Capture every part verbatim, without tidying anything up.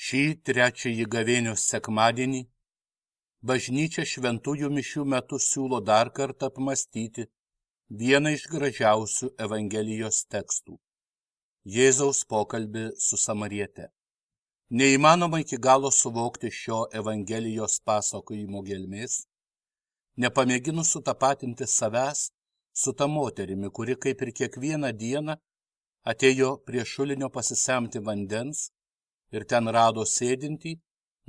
Šį trečiąjį gavėnios sekmadienį bažnyčia šventųjų mišių metu siūlo dar kartą apmąstyti vieną iš gražiausių Evangelijos tekstų – Jėzaus pokalbį su samariete. Neįmanoma iki galo suvokti šio Evangelijos pasakojimo gelmės, nepamėginus sutapatinti savęs su ta moterimi, kuri kaip ir kiekvieną dieną atėjo prie šulinio pasisemti vandens ir ten rado sėdintį,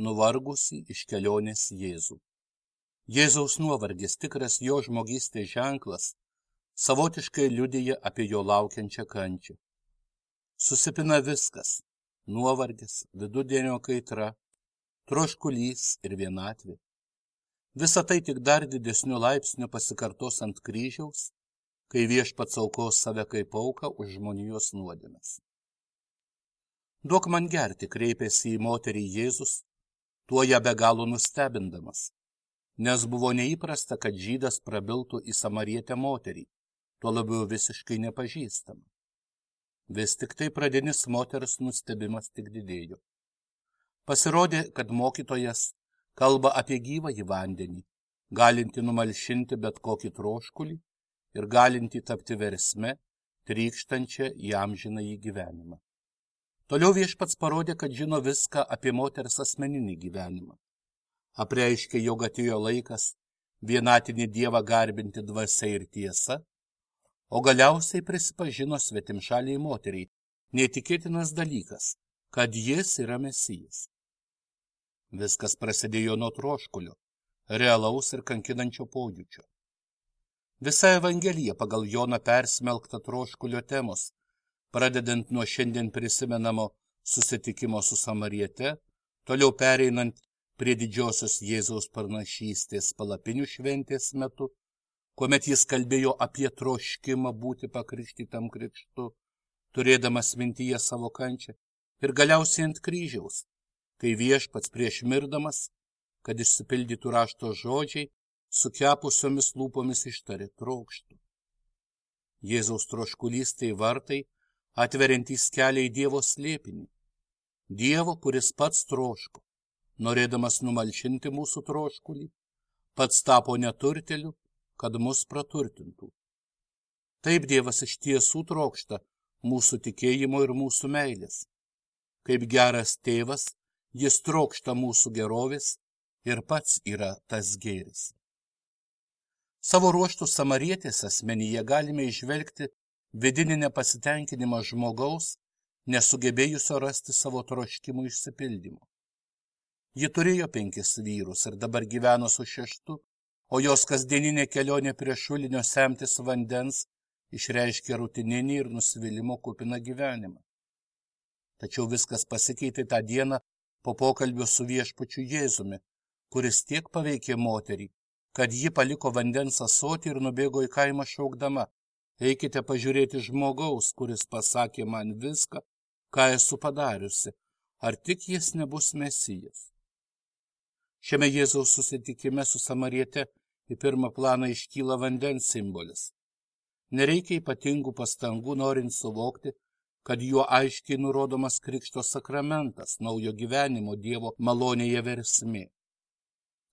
nuvargusį iš kelionės Jėzų. Jėzaus nuovargis, tikras jo žmogystės ženklas, savotiškai liudija apie jo laukiančią kančią. Susipina viskas – nuovargis, vidudienio kaitra, troškulys ir vienatvė. Visa tai tik dar didesniu laipsniu pasikartos ant kryžiaus, kai viešpats aukos save kaip auką už žmonijos nuodėmes. Duok man gerti, kreipėsi į moterį Jėzus, tuo ją be galo nustebindamas, nes buvo neįprasta, kad žydas prabiltų į samarietę moterį, tuo labiau visiškai nepažįstamą. Vis tik tai pradinis moters nustebimas tik didėjo. Pasirodė, kad mokytojas kalba apie gyvąjį vandenį, galinti numalšinti bet kokį troškulį ir galinti tapti versme, trykštančią į amžinąjį gyvenimą. Toliau viešpats parodė, kad žino viską apie moters asmeninį gyvenimą. Apreiškė, jog atėjo laikas vienatinį Dievą garbinti dvasia ir tiesa, o galiausiai prisipažino svetimšaliai moteriai neįtikėtinas dalykas, kad jis yra Mesijas. Viskas prasidėjo nuo troškulio, realaus ir kankinančio pojūčio. Visa Evangelija pagal Joną persmelkta troškulio temos, pradedant nuo šiandien prisimenamo susitikimo su samariete, toliau pereinant prie didžiosios Jėzaus pranašystės palapinių šventės metu, kuomet jis kalbėjo apie troškimą būti pakrikštytam krikštu, turėdamas mintyje savo kančią, ir galiausiai ant kryžiaus, kai viešpats prieš mirdamas, kad išsipildytų rašto žodžiai, sukepusiomis lūpomis ištarė trokštų. Jėzaus troškulys tai vartai, atveriantys kelią į Dievo slėpinį. Dievo, kuris pats troško, norėdamas numalšinti mūsų troškulį, pats tapo neturteliu, kad mus praturtintų. Taip Dievas iš tiesų trokšta mūsų tikėjimo ir mūsų meilės. Kaip geras tėvas, jis trokšta mūsų gerovės ir pats yra tas gėris. Savo ruožtų samarietės asmenyje galime išvelgti vidinį nepasitenkinimą žmogaus, nesugebėjusio rasti savo troškimų išsipildymo. Ji turėjo penkis vyrus ir dabar gyveno su šeštu, o jos kasdieninė kelionė prie šulinio semtis vandens išreiškė rutininį ir nusivylimo kupiną gyvenimą. Tačiau viskas pasikeitė tą dieną po pokalbio su viešpačiu Jėzumi, kuris tiek paveikė moterį, kad ji paliko vandens ąsotį ir nubėgo į kaimą šaukdama: eikite pažiūrėti žmogaus, kuris pasakė man viską, ką esu padariusi, ar tik jis nebus Mesijas. Šiame Jėzaus susitikime su samariete į pirmą planą iškyla vandens simbolis. Nereikia ypatingų pastangų norint suvokti, kad juo aiškiai nurodomas krikšto sakramentas, naujo gyvenimo Dievo malonėje versmė.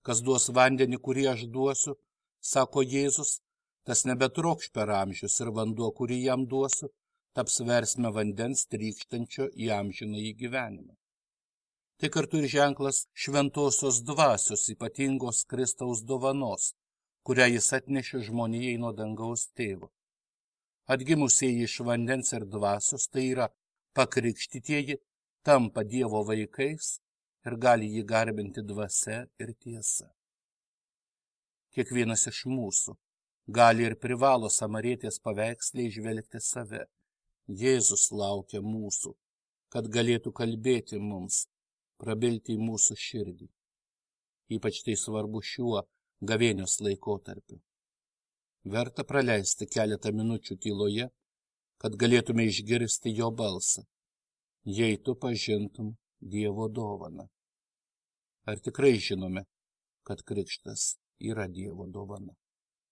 Kas duos vandenį, kurį aš duosiu, sako Jėzus, tas nebetrokš per amžius ir vanduo, kurį jam duosiu, taps versme vandens trykštančio į amžinąjį gyvenimą. Tai kartu ir ženklas šventosios dvasios ypatingos Kristaus dovanos, kurią jis atnešė žmonijai nuo dangaus tėvo. Atgimusieji iš vandens ir dvasios, tai yra pakrikštytieji, tampa Dievo vaikais ir gali jį garbinti dvasia ir tiesa. Kiekvienas iš mūsų gali ir privalo samarietės paveiksle įžvelgti save. Jėzus laukia mūsų, kad galėtų kalbėti mums, prabilti į mūsų širdį. Ypač tai svarbu šiuo gavėnios laikotarpiu. Verta praleisti keletą minučių tyloje, kad galėtume išgirsti jo balsą, jei tu pažintum Dievo dovaną. Ar tikrai žinome, kad krikštas yra Dievo dovana?